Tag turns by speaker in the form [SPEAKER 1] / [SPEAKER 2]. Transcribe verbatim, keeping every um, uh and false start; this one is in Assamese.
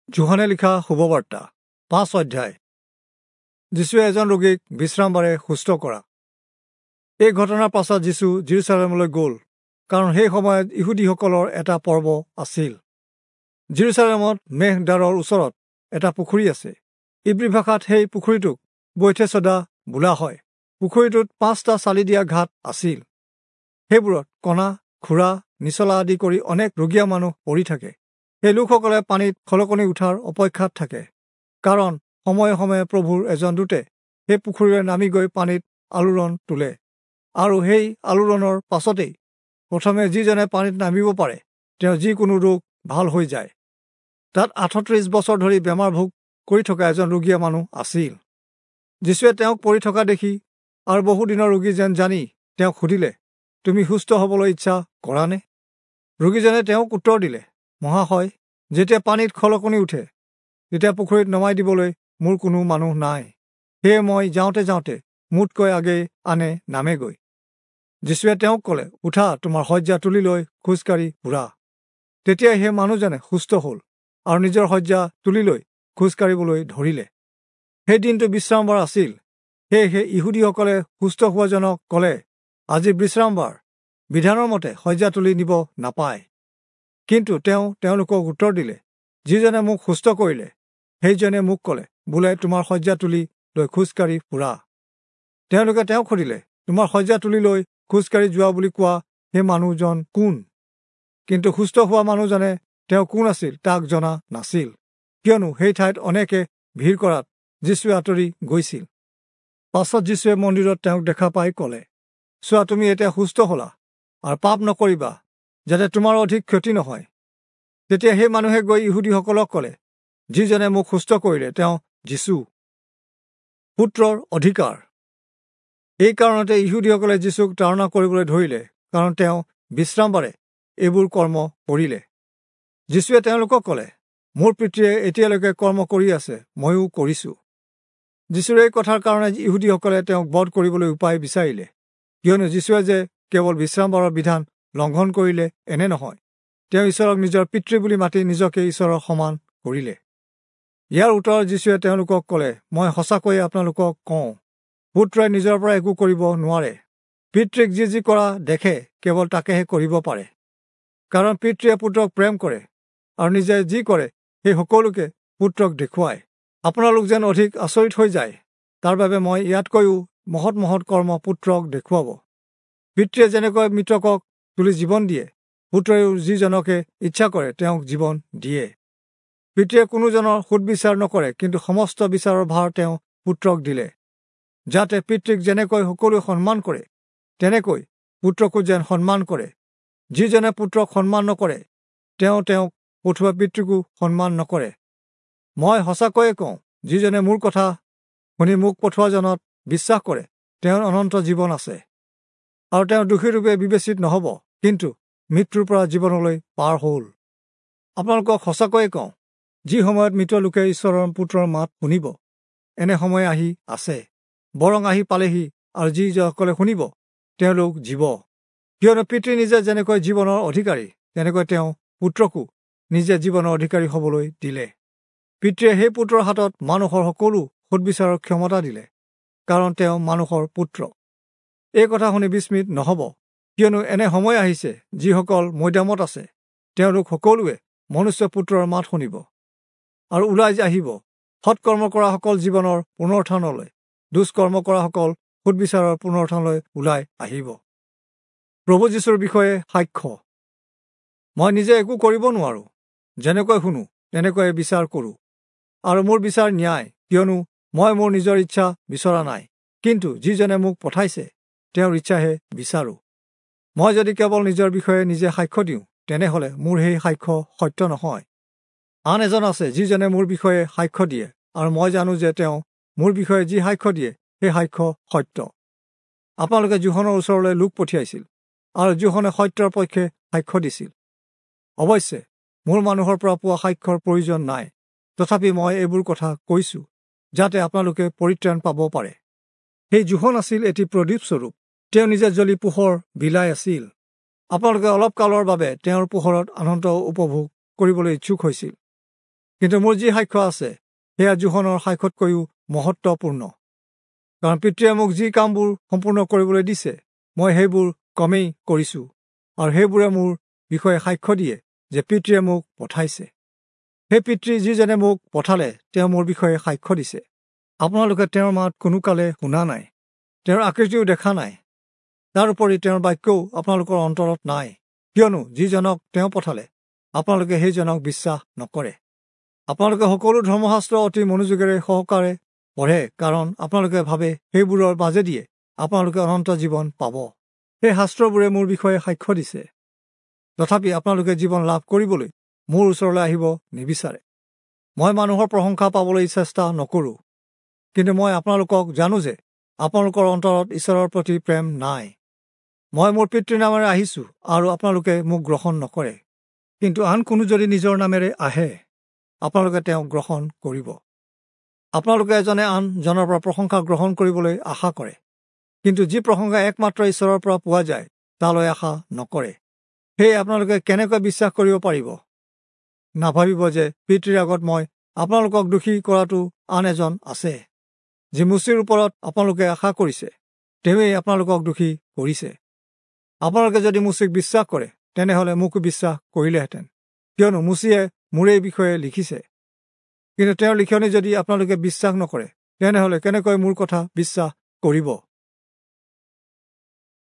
[SPEAKER 1] যোহনে লিখা শুভবাৰ্তা পাঁচ অধ্যায়। যীশুৱে এজন ৰোগীক বিশ্ৰামবাৰে সুস্থ কৰা। এই ঘটনাৰ পাছত যীশু যিৰূচালেমলৈ গ'ল, কাৰণ সেই সময়ত ইহুদীসকলৰ এটা পৰ্ব আছিল। যিৰূচালেমত মেষদ্বাৰৰ ওচৰত এটা পুখুৰী আছে। ইব্ৰী ভাষাত সেই পুখুৰীটোক বৈথেচদা বোলা হয়। পুখুৰীটোত পাঁচটা চালি দিয়া ঘাট আছিল। সেইবোৰত কণা, খুৰা, নিচলা আদি কৰি অনেক ৰোগীয়া মানুহ পৰি থাকে। সেই লোকসকলে পানীত খলকনি উঠাৰ অপেক্ষাত থাকে, কাৰণ সময়ে সময়ে প্ৰভুৰ এজন দূতে সেই পুখুৰীৰে নামি গৈ পানীত আলোড়ন তোলে, আৰু সেই আলোড়নৰ পাছতেই প্ৰথমে যিজনে পানীত নামিব পাৰে তেওঁ যিকোনো ৰোগ ভাল হৈ যায়। তাত আঠত্ৰিশ বছৰ ধৰি বেমাৰ ভোগ কৰি থকা এজন ৰোগীয়া মানুহ আছিল। যীশুৱে তেওঁক পৰি থকা দেখি আৰু বহুদিনৰ ৰোগী যেন জানি তেওঁক সুধিলে, তুমি সুস্থ হ'বলৈ ইচ্ছা কৰানে? ৰোগীজনে তেওঁক উত্তৰ দিলে, মহাশয়, যেতিয়া পানীত খলকনি উঠে তেতিয়া পুখুৰীত নমাই দিবলৈ মোৰ কোনো মানুহ নাই, সেয়ে মই যাওঁতে যাওঁতে মোতকৈ আগেয়ে আনে নামেগৈ। যীশুৱে তেওঁক ক'লে, উঠা, তোমাৰ শয্যা তুলি লৈ খোজকাঢ়ি ফুৰা। তেতিয়া সেই মানুহজনে সুস্থ হ'ল আৰু নিজৰ শয্যা তুলি লৈ খোজকাঢ়িবলৈ ধৰিলে। সেই দিনটো বিশ্ৰামবাৰ আছিল। সেয়েহে ইহুদীসকলে সুস্থ হোৱাজনক ক'লে, আজি বিশ্ৰামবাৰ, বিধানৰ মতে শয্যা তুলি নিব নাপায়। কিন্তু তেওঁ তেওঁলোকক উত্তৰ দিলে, যিজনে মোক সুস্থ কৰিলে সেইজনে মোক ক'লে, বোলে তোমাৰ শয্যা তুলি লৈ খোজকাঢ়ি ফুৰা। তেওঁলোকে তেওঁক সুধিলে, তোমাৰ শয্যা তুলি লৈ খোজকাঢ়ি যোৱা বুলি কোৱা সেই মানুহজন কোন? কিন্তু সুস্থ হোৱা মানুহজনে তেওঁ কোন আছিল তাক জনা নাছিল, কিয়নো সেই ঠাইত অনেকে ভিৰ কৰাত যীশুৱে আঁতৰি গৈছিল। পাছত যীশুৱে মন্দিৰত তেওঁক দেখা পাই ক'লে, চোৱা, তুমি এতিয়া সুস্থ হলা, আৰু পাপ নকৰিবা, যাতে তোমাৰ অধিক ক্ষতি নহয়। তেতিয়া সেই মানুহে গৈ ইহুদীসকলক ক'লে, যিজনে মোক সুস্থ কৰিলে তেওঁ যীশু। পুত্ৰৰ অধিকাৰ। এই কাৰণতে ইহুদীসকলে যীশুক তাড়না কৰিবলৈ ধৰিলে, কাৰণ তেওঁ বিশ্ৰামবাৰে এইবোৰ কৰ্ম কৰিলে। যীশুৱে তেওঁলোকক ক'লে, মোৰ পিতৃয়ে এতিয়ালৈকে কৰ্ম কৰি আছে, ময়ো কৰিছোঁ। যীশুৰ এই কথাৰ কাৰণে ইহুদীসকলে তেওঁক বধ কৰিবলৈ উপায় বিচাৰিলে, কিয়নো যীশুৱে যে কেৱল বিশ্ৰামবাৰৰ বিধান লংঘন কৰিলে এনে নহয়, তেওঁ ঈশ্বৰক নিজৰ পিতৃ বুলি মাতি নিজকে ঈশ্বৰৰ সমান কৰিলে। ইয়াৰ উত্তৰত যীশুৱে তেওঁলোকক ক'লে, মই সঁচাকৈয়ে আপোনালোকক কওঁ, পুত্ৰই নিজৰ পৰা একো কৰিব নোৱাৰে, পিতৃক যি যি কৰা দেখে কেৱল তাকেহে কৰিব পাৰে। কাৰণ পিতৃয়ে পুত্ৰক প্ৰেম কৰে আৰু নিজে যি কৰে সেই সকলোকে পুত্ৰক দেখুৱায়। আপোনালোক যেন অধিক আচৰিত হৈ যায়, তাৰ বাবে মই ইয়াতকৈও মহৎ মহৎ কৰ্ম পুত্ৰক দেখুৱাব। পিতৃয়ে যেনেকৈ মৃতকক তুলি জীৱন দিয়ে, পুত্ৰইও যিজনকে ইচ্ছা কৰে তেওঁক জীৱন দিয়ে। পিতৃয়ে কোনোজনৰ সুদবিচাৰ নকৰে, কিন্তু সমস্ত বিচাৰৰ ভাৰ তেওঁ পুত্ৰক দিলে, যাতে পিতৃক যেনেকৈ সকলোৱে সন্মান কৰে তেনেকৈ পুত্ৰকো যেন সন্মান কৰে। যিজনে পুত্ৰক সন্মান নকৰে তেওঁ তেওঁক পঠোৱা পিতৃকো সন্মান নকৰে। মই সঁচাকৈয়ে কওঁ, যিজনে মোৰ কথা শুনি মোক পঠোৱাজনত বিশ্বাস কৰে তেওঁৰ অনন্ত জীৱন আছে, আৰু তেওঁ দোষীৰূপে বিবেচিত নহ'ব, কিন্তু মৃত্যুৰ পৰা জীৱনলৈ পাৰ হ'ল। আপোনালোকক সঁচাকৈয়ে কওঁ, যি সময়ত মৃত লোকে ঈশ্বৰৰ পুত্ৰৰ মাত শুনিব, এনে সময় আহি আছে, বৰং আহি পালেহি, আৰু যিসকলে শুনিব তেওঁলোক জীৱ। কিয়নো পিতৃ নিজে যেনেকৈ জীৱনৰ অধিকাৰী, তেনেকৈ তেওঁ পুত্ৰকো নিজে জীৱনৰ অধিকাৰী হ'বলৈ দিলে। পিতৃয়ে সেই পুত্ৰৰ হাতত মানুহৰ সকলো সুদবিচাৰৰ ক্ষমতা দিলে, কাৰণ তেওঁ মানুহৰ পুত্ৰ। এই কথা শুনি বিস্মিত নহ'ব, কিয়নো এনে সময় আহিছে যিসকল মৈদামত আছে তেওঁলোক সকলোৱে মনুষ্য পুত্ৰৰ মাত শুনিব আৰু ওলাই আহিব। সৎকৰ্ম কৰাসকল জীৱনৰ পুনৰুত্থানলৈ, দুষ্কৰ্ম কৰাসকল সুদবিচাৰৰ পুনৰুত্থানলৈ ওলাই আহিব। প্ৰভু যীশুৰ বিষয়ে সাক্ষ্য। মই নিজে একো কৰিব নোৱাৰোঁ, যেনেকৈ শুনো তেনেকৈয়ে বিচাৰ কৰোঁ, আৰু মোৰ বিচাৰ ন্যায়, কিয়নো মই মোৰ নিজৰ ইচ্ছা বিচৰা নাই, কিন্তু যিজনে মোক পঠাইছে তেওঁৰ ইচ্ছাহে বিচাৰোঁ। মই যদি কেৱল নিজৰ বিষয়ে নিজে সাক্ষ্য দিওঁ, তেনেহ'লে মোৰ সেই সাক্ষ্য সত্য নহয়। আন এজন আছে যিজনে মোৰ বিষয়ে সাক্ষ্য দিয়ে, আৰু মই জানো যে তেওঁ মোৰ বিষয়ে যি সাক্ষ্য দিয়ে সেই সাক্ষ্য সত্য। আপোনালোকে যোহনৰ ওচৰলৈ লোক পঠিয়াইছিল, আৰু যোহনে সত্যৰ পক্ষে সাক্ষ্য দিছিল। অৱশ্যে মোৰ মানুহৰ পৰা পোৱা সাক্ষ্যৰ প্ৰয়োজন নাই, তথাপি মই এইবোৰ কথা কৈছোঁ, যাতে আপোনালোকে পৰিত্ৰাণ পাব পাৰে। সেই যোহন আছিল এটি প্ৰদীপ স্বৰূপ, তেওঁ নিজে জ্বলি পোহৰ বিলাই আছিল। আপোনালোকে অলপ কালৰ বাবে তেওঁৰ পোহৰত আনন্দ উপভোগ কৰিবলৈ ইচ্ছুক হৈছিল। কিন্তু মোৰ যি সাক্ষ্য আছে সেয়া যোহনৰ সাক্ষ্যতকৈও মহত্বপূৰ্ণ, কাৰণ পিতৃয়ে মোক যি কামবোৰ সম্পূৰ্ণ কৰিবলৈ দিছে মই সেইবোৰ কমেই কৰিছোঁ, আৰু সেইবোৰে মোৰ বিষয়ে সাক্ষ্য দিয়ে যে পিতৃয়ে মোক পঠাইছে। সেই পিতৃ যিজনে মোক পঠালে তেওঁ মোৰ বিষয়ে সাক্ষ্য দিছে। আপোনালোকে তেওঁৰ মাত কোনোকালে শুনা নাই, তেওঁৰ আকৃতিও দেখা নাই, তাৰোপৰি তেওঁৰ বাক্যও আপোনালোকৰ অন্তৰত নাই, কিয়নো যিজনক তেওঁ পঠালে আপোনালোকে সেইজনক বিশ্বাস নকৰে। আপোনালোকে সকলো ধৰ্মশাস্ত্ৰ অতি মনোযোগেৰে সহকাৰে পঢ়ে, কাৰণ আপোনালোকে ভাবে সেইবোৰৰ মাজেদিয়ে আপোনালোকে অনন্ত জীৱন পাব। সেই শাস্ত্ৰবোৰে মোৰ বিষয়ে সাক্ষ্য দিছে, তথাপি আপোনালোকে জীৱন লাভ কৰিবলৈ মোৰ ওচৰলৈ আহিব নিবিচাৰে। মই মানুহৰ প্ৰশংসা পাবলৈ চেষ্টা নকৰোঁ, কিন্তু মই আপোনালোকক জানো যে আপোনালোকৰ অন্তৰত ঈশ্বৰৰ প্ৰতি প্ৰেম নাই। মই মোৰ পিতৃৰ নামেৰে আহিছোঁ আৰু আপোনালোকে মোক গ্ৰহণ নকৰে, কিন্তু আন কোনো যদি নিজৰ নামেৰে আহে আপোনালোকে তেওঁক গ্ৰহণ কৰিব। আপোনালোকে এজনে আনজনৰ পৰা প্ৰশংসা গ্ৰহণ কৰিবলৈ আশা কৰে, কিন্তু যি প্ৰশংসা একমাত্ৰ ঈশ্বৰৰ পৰা পোৱা যায় তালৈ আশা নকৰে। সেয়ে আপোনালোকে কেনেকৈ বিশ্বাস কৰিব পাৰিব? নাভাবিব যে পিতৃৰ আগত মই আপোনালোকক দোষী কৰাটো আন এজন আছে, যি মুচিৰ ওপৰত আপোনালোকে আশা কৰিছে তেওঁৱেই আপোনালোকক দোষী কৰিছে। আপোনালোকে যদি মুচিক বিশ্বাস কৰে তেনেহ'লে মোকো বিশ্বাস কৰিলেহেঁতেন, কিয়নো মুচিয়ে মোৰেই বিষয়ে লিখিছে। কিন্তু তেওঁৰ লিখনি যদি আপোনালোকে বিশ্বাস নকৰে তেনেহ'লে কেনেকৈ মোৰ কথা বিশ্বাস কৰিব?